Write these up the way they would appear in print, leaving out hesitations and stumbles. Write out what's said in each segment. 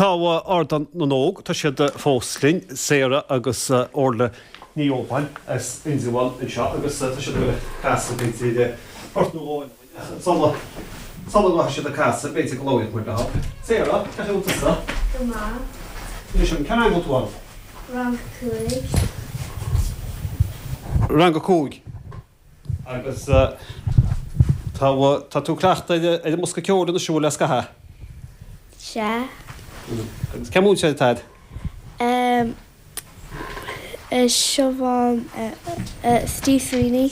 Tá Ardán na nÓg, tá siad fós linn, Sarah agus Orla Ní Óbáin as Indreabhán anseo agus tá siad ag dul ag casadh b'fhéidir port nó dhó eile dúinn ach sula sula rachaidh siad ag casadh b'fhéidir go labhróidh muid leo. Sarah, cén chaoi a bhfuil tusa? Go maith. Inis dom, cén rang a bhfuil tú ann? Rang 5. Rang 5. Agus tá, tá tú ag cleachtadh ar an mbosca ceoil anois an bhfuil le scaitheamh? Sea. Agus cén múinteoir atá agat? Em, Siobhán, Steve Sweeney.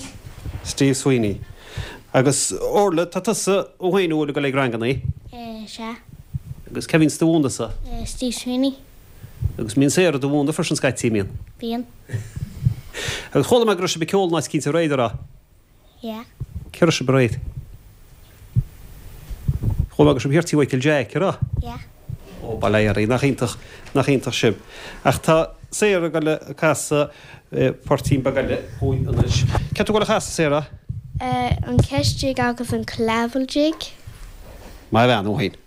Steve Sweeney. Agus Orla, tá tusa an féin an bhfuil ag dul ag rangannaí? Sea. Agus cé bhíonns do mhúineadh thusa? Steve Sweeney. Agus mbíonn Sarah do mhúineadh freisin scaití, mbíonn? Bíonn. Agus chuala mé go raibh sibh ag ceol in áit eicínt aréir, an raibh? Yeah. Cé raibh sibh aréir? Chuala mé go raibh sibh thiar tí Mhichael Jack, an raibh? Yeah. Ó, bail ó Dhia oraibh, nach iontach, nach iontach sibh. Ach tá Sarah ag dul ag casadh poirtín beag eile dhúinn anois. Céard tá tú ag dul a chasadh, Sarah? An Ceist Jig agus an Killavil Jig. Maith a bhean, ó shin.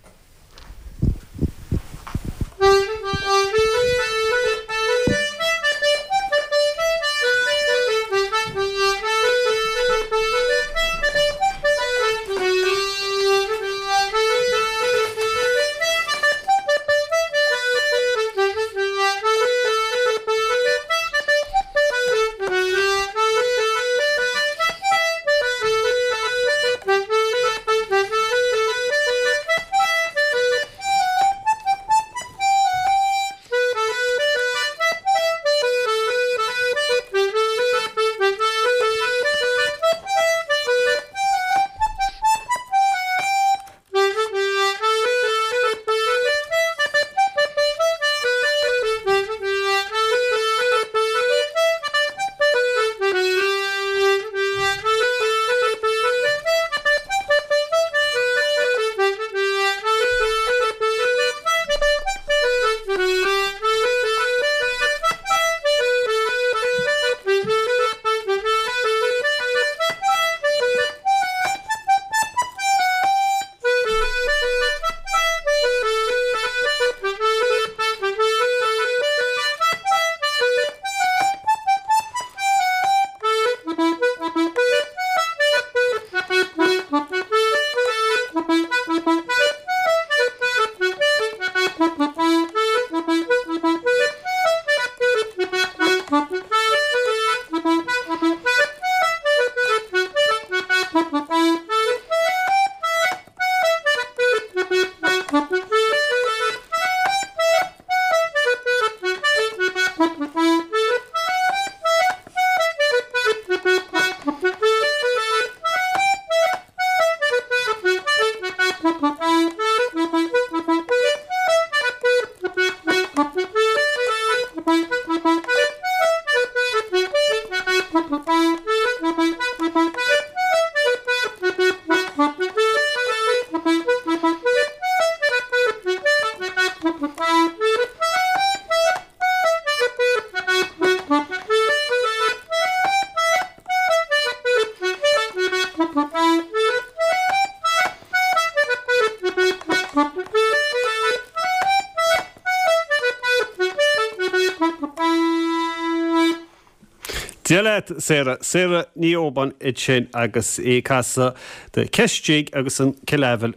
Dia leat, Sarah. Sarah Ní Óbáin ansin agus í ag casadh The Ceist Jig agus an Killavil.